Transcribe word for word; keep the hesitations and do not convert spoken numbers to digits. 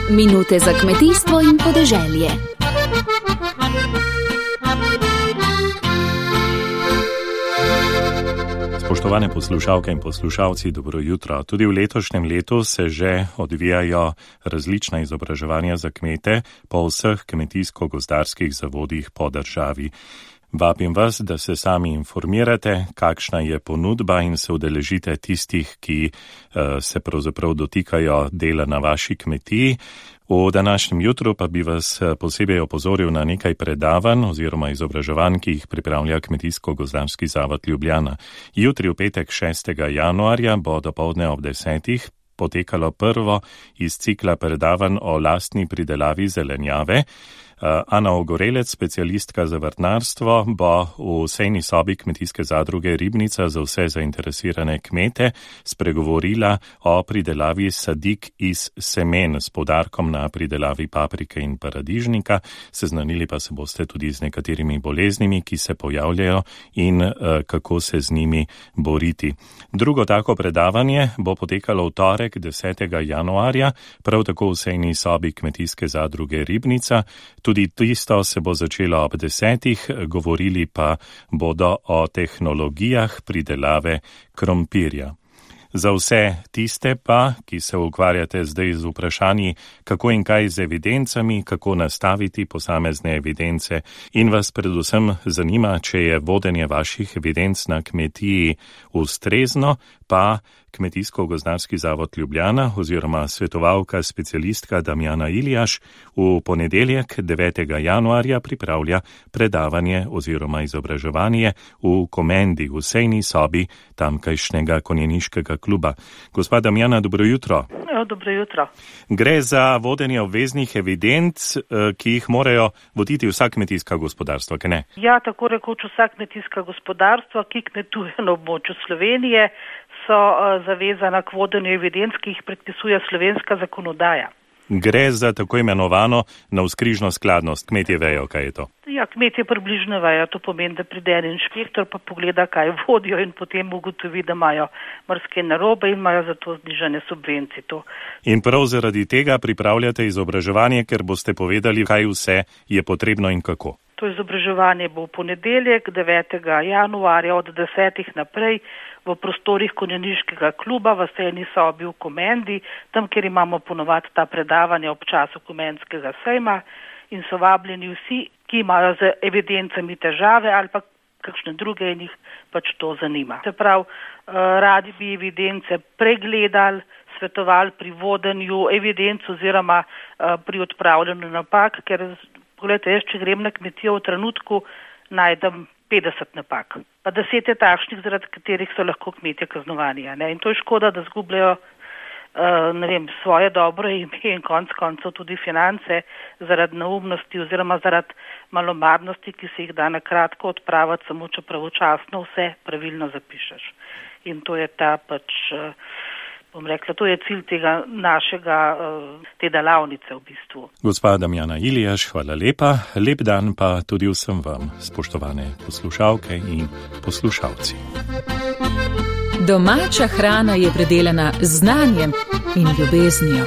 Minute za kmetijstvo in podeželje. Spoštovane poslušalke in poslušalci, dobro jutro. Tudi v letošnjem letu se že odvijajo različna izobraževanja za kmete po vseh kmetijsko-gozdarskih zavodih po državi. Vabim vas, da se sami informirate, kakšna je ponudba in se udeležite tistih, ki uh, se pravzaprav dotikajo dela na vaši kmetiji. V današnjem jutru pa bi vas posebej opozoril na nekaj predavanj oziroma izobraževanj, ki jih pripravlja Kmetijsko-gozdarski zavod Ljubljana. Jutri v petek šestega januarja bo dopoldne ob desetih potekalo prvo iz cikla predavanj o lastni pridelavi zelenjave. Ana Ogorelec, specialistka za vrtnarstvo, bo v sejni sobi kmetijske zadruge Ribnica za vse zainteresirane kmete spregovorila o pridelavi sadik iz semen s poudarkom na pridelavi paprike in paradižnika. Seznanili pa se boste tudi z nekaterimi boleznimi, ki se pojavljajo in uh, kako se z njimi boriti. Drugo tako predavanje bo potekalo v torek desetega januarja, prav tako v sejni sobi kmetijske zadruge Ribnica. Tudi tisto se bo začelo ob desetih, govorili pa bodo o tehnologijah pridelave krompirja. Za vse tiste pa, ki se ukvarjate zdaj z vprašanji, kako in kaj z evidencami, kako nastaviti posamezne evidence in vas predvsem zanima, če je vodenje vaših evidenc na kmetiji ustrezno, pa Kmetijsko-gozdarski zavod Ljubljana oziroma svetovalka specialistka Damjana Iljaš v ponedeljek devetega januarja pripravlja predavanje oziroma izobraževanje v Komendi, v sejni sobi tamkajšnjega konjeniškega kluba. Gospa Damjana, dobro jutro. Jo, dobro jutro. Gre za vodenje obveznih evidenc, ki jih morajo voditi vsa kmetijska gospodarstva, kaj ne? Ja, tako rekoč vsa kmetijska gospodarstva, ki kmetuje na območju Slovenije, so uh, zavezana k vodenju evidenc, ki jih predpisuje slovenska zakonodaja. Gre za tako imenovano navzkrižno skladnost. Kmetje vejo, kaj je to? Ja, kmetje približno vejo. To pomeni, da pride en inšpektor pa pogleda, kaj vodijo in potem ugotovi, da imajo marsikaj narobe in imajo zato znižane subvencije. To. In prav zaradi tega pripravljate izobraževanje, ker boste povedali, kaj vse je potrebno in kako. To izobraževanje bo v ponedeljek devetega januarja od desetih naprej v prostorih konjeniškega kluba v sejni sobi v Komendi, tam, kjer imamo ponovadi ta predavanja ob času Komendskega sejma in so vabljeni vsi, ki imajo z evidencami težave ali pa kakšne druge in jih pač to zanima. Se pravi, radi bi evidence pregledali, svetovali pri vodenju evidenc oziroma pri odpravljanju napak, ker pogledajte, jaz, če grem na kmetijo v trenutku, najdem petdeset napak. Pa deset je takšnih, zaradi katerih so lahko kmetje kaznovani. Ne? In to je škoda, da zgubljajo uh, ne vem, svoje dobro ime in konc koncev tudi finance zaradi neumnosti oziroma zaradi malomarnosti, ki se jih da na kratko odpraviti, samo če pravočasno vse pravilno zapišeš. In to je ta pač... Uh, bom rekla, to je cilj tega našega, te delavnice v bistvu. Gospa Damjana Iljaš, hvala lepa. Lep dan pa tudi vsem vam, spoštovane poslušalke in poslušalci. Domača hrana je predelana z znanjem in ljubeznijo.